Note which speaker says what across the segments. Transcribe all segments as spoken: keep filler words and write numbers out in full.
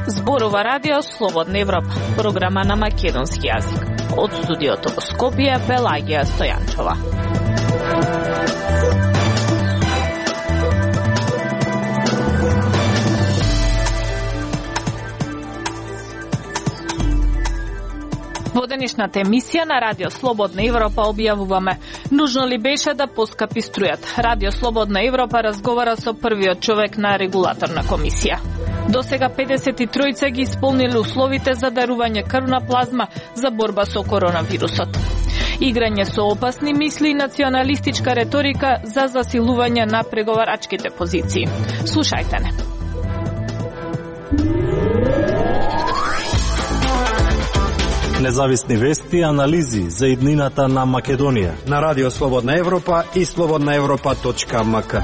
Speaker 1: Зборува Радио Слободна Европа, програма на македонски јазик. Од студиото во Скопје, Белагија Стојанчова. Во денешната емисија на Радио Слободна Европа објавуваме: нужно ли беше да поскапи струјата? Радио Слободна Европа разговара со првиот човек на регулаторна комисија. До сега педесет и тројца ги исполнили условите за дарување крвна плазма за борба со коронавирусот. Играње со опасни мисли и националистичка реторика за засилување на преговарачките позиции. Слушајте не.
Speaker 2: Независни вести и анализи за иднината на Македонија
Speaker 3: на Радио Слободна Европа и слободна европа точка ем ка.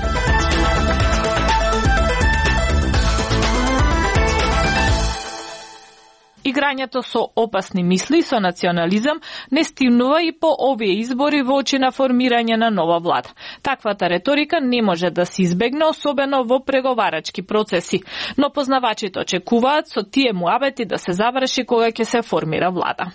Speaker 1: Играњето со опасни мисли и со национализам не стимнува и по овие избори во очи на формирање на нова влада. Таквата реторика не може да се избегне, особено во преговарачки процеси, но познавачите очекуваат со тие муабети да се заврши кога ќе се формира влада.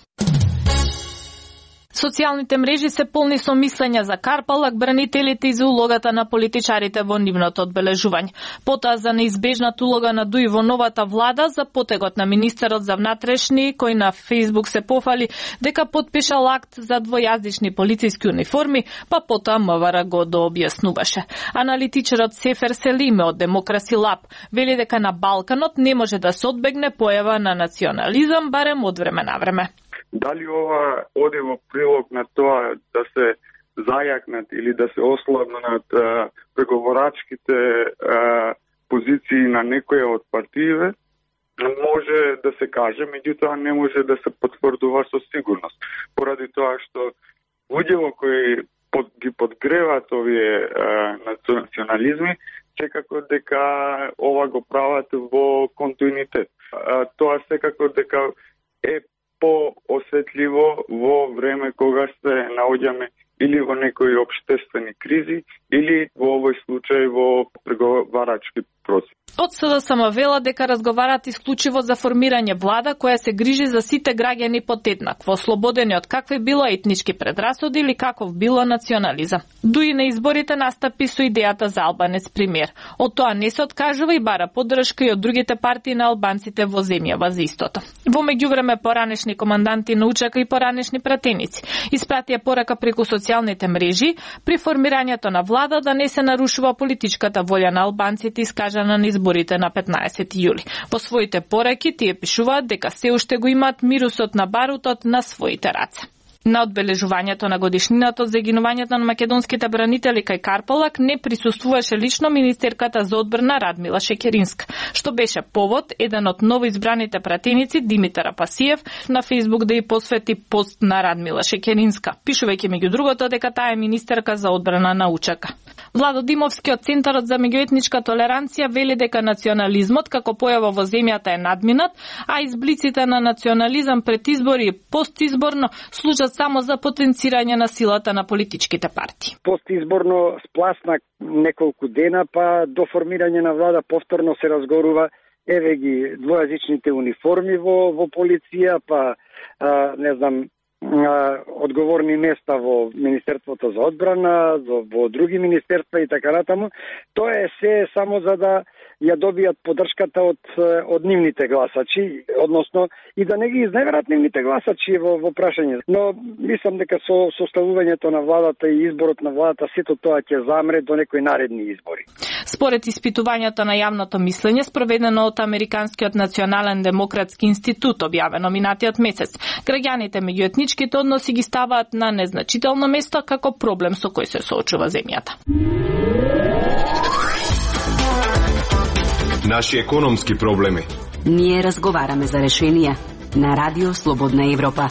Speaker 1: Социјалните мрежи се полни со мислења за Карпалак, бранителите и за улогата на политичарите во нивното одбележување. Потоа за неизбежната улога на Дуи во новата влада, за потегот на министерот за внатрешни, кој на Фејсбук се пофали дека подпишал акт за двојазични полициски униформи, па потоа МВР го дообјаснуваше. Аналитичарот Сефер Селиме од Демокраси Лаб вели дека на Балканот не може да се одбегне појава на национализам, барем од време на време.
Speaker 4: Дали ова оди во прилог на тоа да се зајакнат или да се ослабнат а, преговорачките а, позиции на некоја од партиите, може да се каже, меѓутоа не може да се потврдува со сигурност. Поради тоа што луѓето кои под, ги подгреваат овие а, национализми, секако дека ова го прават во континуитет. А, тоа секако дека е по-осетливо во време кога се наоѓаме или во некои општествени кризи, или во овој случај во преговарачки процес.
Speaker 1: Од СДСМ вела дека разговарат исклучиво за формирање влада која се грижи за сите граѓани подеднакво, ослободени од какви било етнички предрасуди или каков било национализам. Дуи на изборите настапи со идејата за албанец премиер. Од тоа не се откажува и бара поддршка и од другите партии на албанците во земјава за истото. Во меѓувреме поранешни команданти на УЧК и поранешни пратеници испратија порака преку социјалните мрежи при формирањето на влада да не се нарушува политичката волја на албанците искажана на изборите на петнаесети јули. Во своите пораки тие пишуваат дека се уште го имаат мирусот на барутот на своите раце. На одбележувањето на годишнината од загинувањето на македонските бранители кај Карпалак не присуствуваше лично министерката за одбрана Радмила Шекеринска, што беше повод еден од новоизбраните пратеници Димитар Апасиев на Фејсбук да ја посвети пост на Радмила Шекеринска, пишувајќи меѓу другото дека таа е министерка за одбрана на УЧК. Владо Димовски од Центарот за меѓуетничка толеранција вели дека национализмот како појава во земјата е надминат, а изблиците на национализам пред избори и постизборно служат само за потенцирање на силата на политичките партии.
Speaker 5: Постизборно спласна неколку дена, па до формирање на влада повторно се разгорува еве ги двојазичните униформи во во полиција, па а, не знам одговорни места во Министерството за одбрана, во други министерства и така натаму. Тоа е се само за да ја добијат поддршката од од нивните гласачи, односно и да не ги изневерат нивните гласачи во во прашање. Но мислам дека со составувањето на владата и изборот на владата сето тоа ќе замре до некои наредни избори.
Speaker 1: Според испитувањето на јавното мислење спроведено од Американскиот национален демократски институт објавено минатиот месец, граѓаните меѓу етничките односи ги ставаат на незначително место како проблем со кој се соочува земјата.
Speaker 6: Наши економски проблеми.
Speaker 7: Ние разговараме за решенија на Радио Слободна Европа.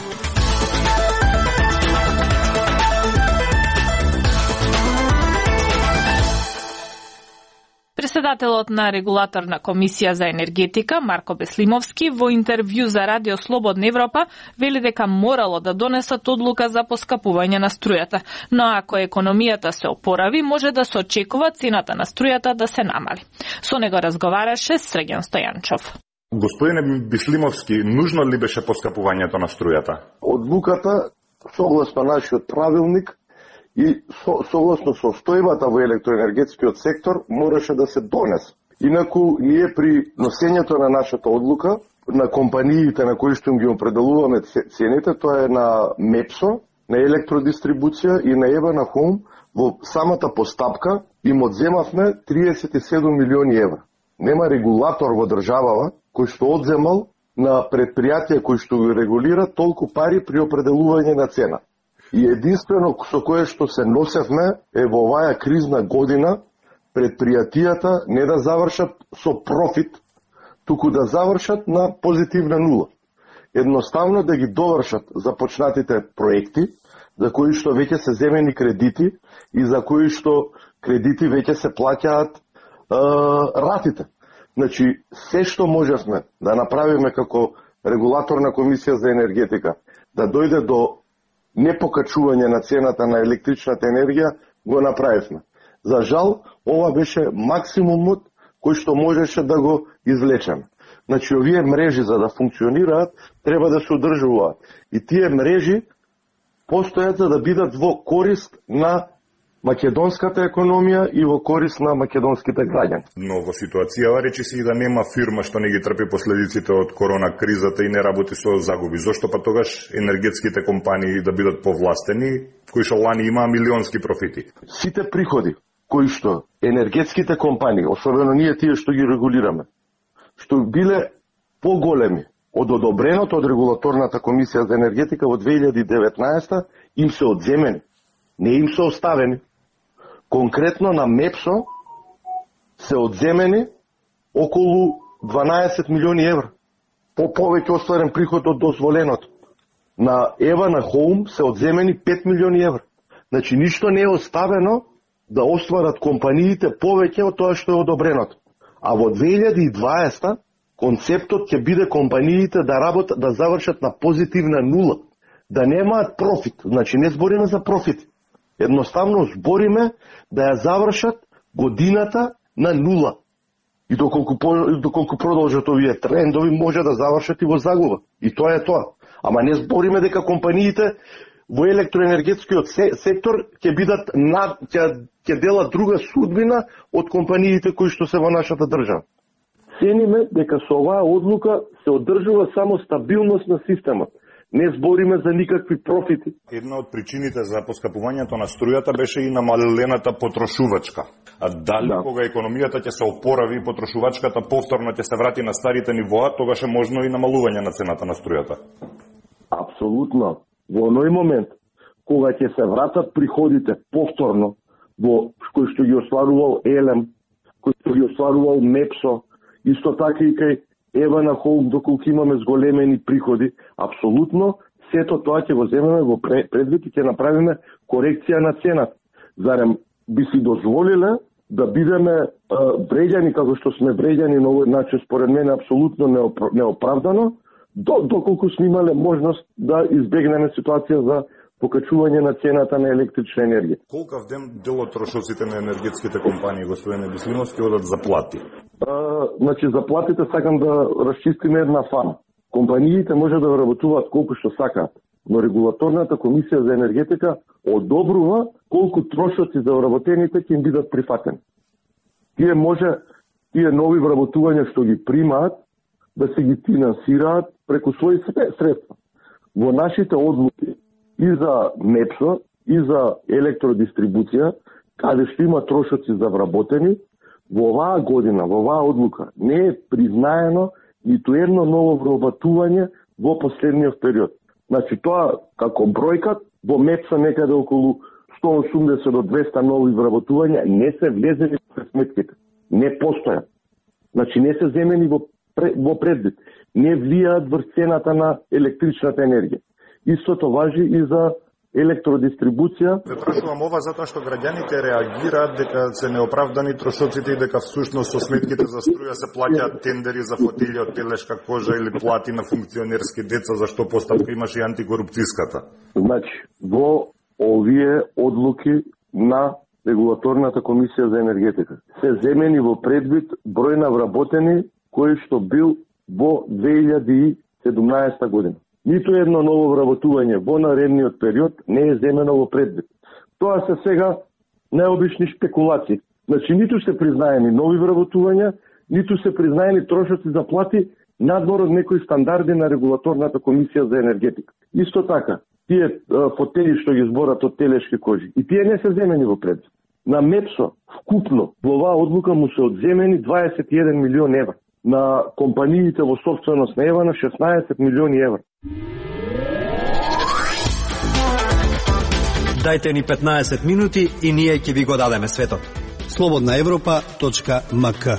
Speaker 1: Преседателот на регулаторна комисија за енергетика Марко Беслимовски во интервју за Радио Слободна Европа вели дека морало да донесат одлука за поскапување на струјата, но ако економијата се опорави, може да се очекува цената на струјата да се намали. Со него разговараше Срѓан Стојанчов.
Speaker 6: Господине Беслимовски, нужно ли беше поскапувањето на струјата?
Speaker 8: Одлуката, согласно нашиот правилник и со, согласно состојбата во електроенергетскиот сектор, мораше да се донесе. Инаку, ние при носењето на нашата одлука, на компаниите на кои што им ги определуваме цените, тоа е на Мепсо, на електродистрибуција и на Ева на Хоум, во самата постапка им одземавме триесет и седум милиони евра. Нема регулатор во државава кој што одземал на предпријатија кои што го регулира толку пари при определување на цена. И единствено со кое што се носевме е во оваа кризна година предпријатијата не да завршат со профит, туку да завршат на позитивна нула. Едноставно да ги довршат започнатите проекти, за кои што веќе се земени кредити и за кои што кредити веќе се плаќаат е, ратите. Значи, се што можевме да направиме како регулаторна комисија за енергетика, да дојде до непокачување на цената на електричната енергија, го направивме. За жал, ова беше максимумот кој што можеше да го извлечеме. Значи, овие мрежи за да функционираат, треба да се одржуваат. И тие мрежи постојат за да бидат во корист на македонската економија и во корист на македонските граѓани.
Speaker 6: Но во ситуацијава речиси и да нема фирма што не ги трпи последиците од корона кризата и не работи со загуби. Зошто па тогаш енергетските компании да бидат повластени, кои што лани имаа милионски профити?
Speaker 8: Сите приходи кои што енергетските компании, особено ние тие што ги регулираме, што биле поголеми од одобреното од регулаторната комисија за енергетика во две илјади и деветнаесета, им се одземени, не им се оставени. Конкретно на Мепсо се одземени околу дванаесет милиони евра. По повеќе остварен приход од дозволеното. На Ева на Хоум се одземени пет милиони евра. Значи ништо не е оставено да остварат компаниите повеќе од тоа што е одобреното. А во две илјади и дваесета концептот ќе биде компаниите да работат, да завршат на позитивна нула, да немаат профит. Значи не збориме за профит. Едноставно збориме да ја завршат годината на нула. И доколку, доколку продолжат овие трендови, може да завршат и во загуба. И тоа е тоа. Ама не збориме дека компаниите во електроенергетскиот сектор ќе бидат на, ќе, ќе делат друга судбина од компаниите кои што се во нашата држава. Цениме дека со оваа одлука се одржува само стабилност на системот. Не збориме за никакви профити.
Speaker 6: Една од причините за поскапувањето на струјата беше и намалената потрошувачка. А дали да. Кога економијата ќе се опорави и потрошувачката повторно ќе се врати на старите нивоа, тогаш е можно и намалување на цената на струјата?
Speaker 8: Апсолутно. Во оној момент, кога ќе се вратат приходите повторно, во кој што ги остварувал Елем, кој што ги остварувал Мепсо, исто така и кај Ева на Хоум, доколку имаме зголемени приходи, апсолутно сето тоа ќе го земеме во предвид и ќе направиме корекција на цената. Зарем би си дозволиле да бидеме вреѓани како што сме вреѓани на овој начин, според мене апсолутно неоправдано, доколку сме имале можност да избегнеме ситуација за покачување на цената на електрична енергија.
Speaker 6: Колкав ден дел од трошоците на енергетските компании, господине Беслимовски, одат заплати?
Speaker 8: А, значи, заплатите сакам да расчистиме една фама. Компаниите може да работуваат колку што сакаат, но регулаторната комисија за енергетика одобрува колку трошоци за вработените ќе им бидат прифатени. Тие може, тие нови вработувања што ги примаат, да се ги финансираат преку своји средства. Во нашите одлуки и за Мепсо, и за електродистрибуција, каде што има трошоци за вработени, во оваа година, во оваа одлука, не е признаено ниту едно ново вработување во последниот период. Значи, тоа како бројкат, во Мепсо некаде околу сто и осумдесет до двеста нови вработувања не се влезени во сметките. Не постојат. Значи, не се земени во, во предвид. Не влијаат врз цената на електричната енергија. Истото важи и за електродистрибуција.
Speaker 6: Ве прашувам ова затоа што граѓаните реагираат дека се неоправдани трошоците и дека всушност со сметките за струја се плаќаат тендери за фотилји од телешка кожа или плати на функционерски деца, зашто постапка имаше и антикорупцијската.
Speaker 8: Значи, во овие одлуки на Регулаторната комисија за енергетика се земени во предвид број на вработени кој што бил во две илјади и седумнаесета година. Ниту едно ново вработување во наредниот период не е земено во предвид. Тоа се сега најобични спекулации. Значи, ниту се признаени нови вработувања, ниту се признаени трошоци за плати надвор од некои стандарди на Регулаторната комисија за енергетика. Исто така, тие фотели што ги зборат од телешки кожи, и тие не се земени во предвид. На МЕПСО вкупно во оваа одлука му се одземени дваесет и еден милион евра. На компаниите во собственост на ЕВА на шеснаесет милиони евра.
Speaker 3: Дајте ни петнаесет минути и ние ќе ви го дадеме светот.
Speaker 9: слободна европа точка ем ка.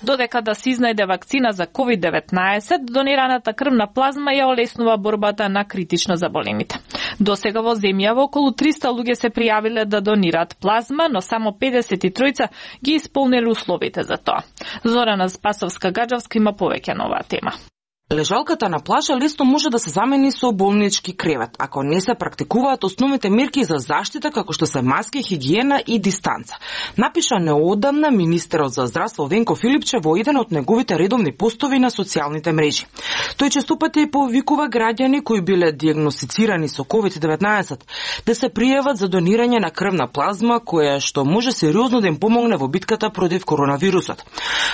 Speaker 1: Додека да се изнајде вакцина за ковид деветнаесет, донираната крвна плазма ја олеснува борбата на критично заболените. До сега во земјава околу триста луѓе се пријавиле да донираат плазма, но само педесет и тројца ги исполниле условите за тоа. Зорана Спасовска-Гаджавска има повеќе на оваа тема.
Speaker 10: Лежалката на плажа лесно може да се замени со болнички кревет, ако не се практикуваат основните мерки за заштита, како што се маски, хигиена и дистанца. Напиша неодамна министерот за здравство Венко Филипче во еден од неговите редовни постови на социјалните мрежи. Тој често пати повикува граѓани кои биле диагностицирани со ковид деветнаесет да се пријават за донирање на крвна плазма, која што може сериозно да им помогне во битката против коронавирусот.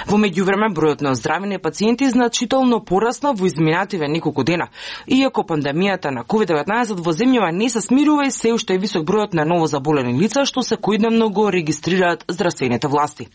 Speaker 10: Во меѓувреме бројот на оздравени пациенти значително порасна во изминативе неколку дена. Иако пандемијата на ковид деветнаесет во земјава не се смирува и се уште е висок бројот на ново заболени лица што секојдневно го регистрираат здравствените власти.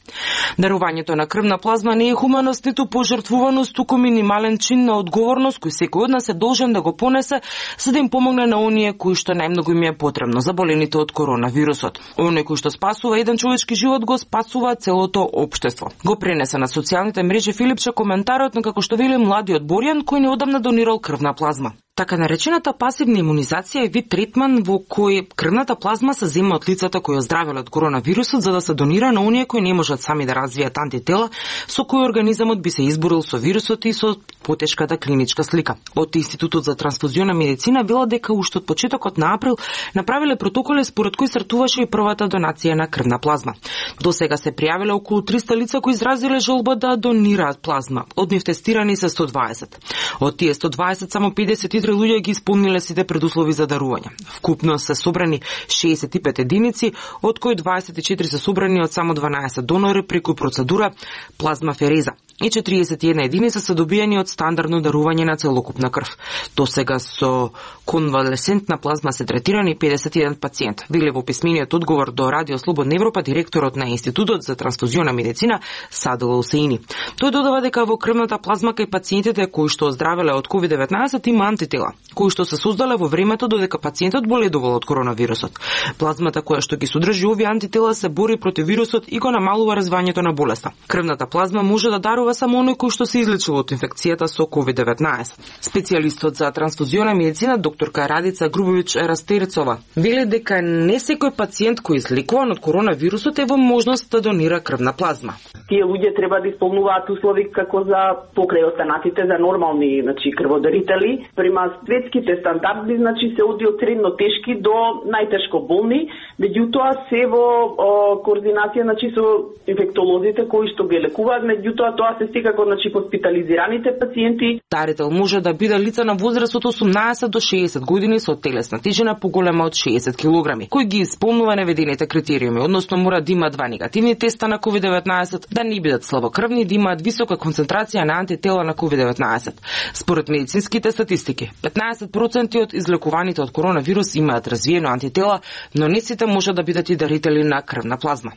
Speaker 10: Дарувањето на крвна плазма не е хуманост ниту пожртвуваност, туку минимален чин на одговорност кој секој од нас е должен да го понесе за да им помогне на оние кои што најмногу им е потребно, заболените од коронавирусот. Оној кој што спасува еден човечки живот го спасува целото општество. Го пренесе на социјалните мрежи Филипче коментарот на како што вели младиот Боријан кој неодамна донирал крвна плазма. Така наречената пасивна имунизација е вид третман во кој крвната плазма се зема од лицата кои оздравеле од коронавирусот за да се донира на оние кои не можат сами да развијат антитела со кои организамот би се изборил со вирусот и со потешката клиничка слика. Од Институтот за трансфузионна медицина вела дека уште од почетокот на април направиле протоколи според кои стартуваше и првата донација на крвна плазма. До сега се пријавиле околу триста лица кои изразиле желба да донираат плазма. Од нив тестирани се сто дваесет. Од тие сто дваесет само педесет и три луѓе ги исполниле сите предуслови за дарување. Вкупно се собрани шеесет и пет единици, од кои дваесет и четири се собрани од само дванаесет донори преку процедура плазмафереза и четириесет и една единица се добиени од стандардно дарување на целокупна крв. До сега со конвалесентна плазма се третирани педесет и еден пациент. Вели во писмениот одговор до Радио Слободна Европа директорот на Институтот за трансфузионна медицина Садул Усеини. Тој додава дека во крвната плазма кај пациентите кои што оздравеле од ковид деветнаесет има антитела, кои што се создале во времето додека пациентот боледувал од коронавирусот. Плазмата која што ги содржи овие антитела се бори против вирусот и го намалува развивањето на болеста. Крвната плазма може да дарува само оној кој што се излечил од инфекцијата со ковид деветнаесет. Специјалистот за трансфузионна медицина докторка Радица Грубовиќ Растерцова вели дека не секој пациент кој излекуван од коронавирусот е во можност да донира крвна плазма.
Speaker 11: Тие луѓе треба да исполнуваат услови како за покрај останатите за нормални, значи крводарители. Према светските стандарди, значи се оди од средно тешки до најтешко болни, меѓутоа се во о, координација значи со инфектолозите кои што ги лекуваат, меѓутоа тоа се секако значи хоспитализираните пациенти.
Speaker 10: Дарител може да биде лица на возраст од осумнаесет до шеесет години со телесна тежина поголема од шеесет килограми, кој ги исполнува наведените критериуми, односно мора да има два негативни теста на ковид деветнаесет, да не бидат слабокрвни, да имаат висока концентрација на антитела на ковид деветнаесет. Според медицинските статистики, петнаесет проценти од излекуваните од коронавирус имаат развиено антитела, но не сите може да бидат и дарители на крвна плазма.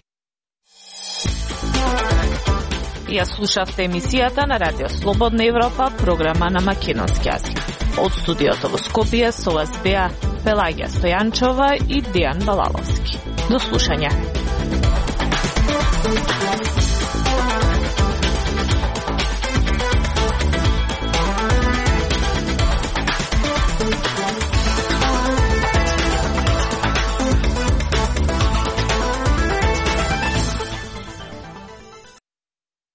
Speaker 1: Ја слушавте емисијата на Радио Слободна Европа, програма на македонски јазик. Од студиото во Скопје со вас беа Пелагија Стојанчова и Дејан Балаловски. До слушање.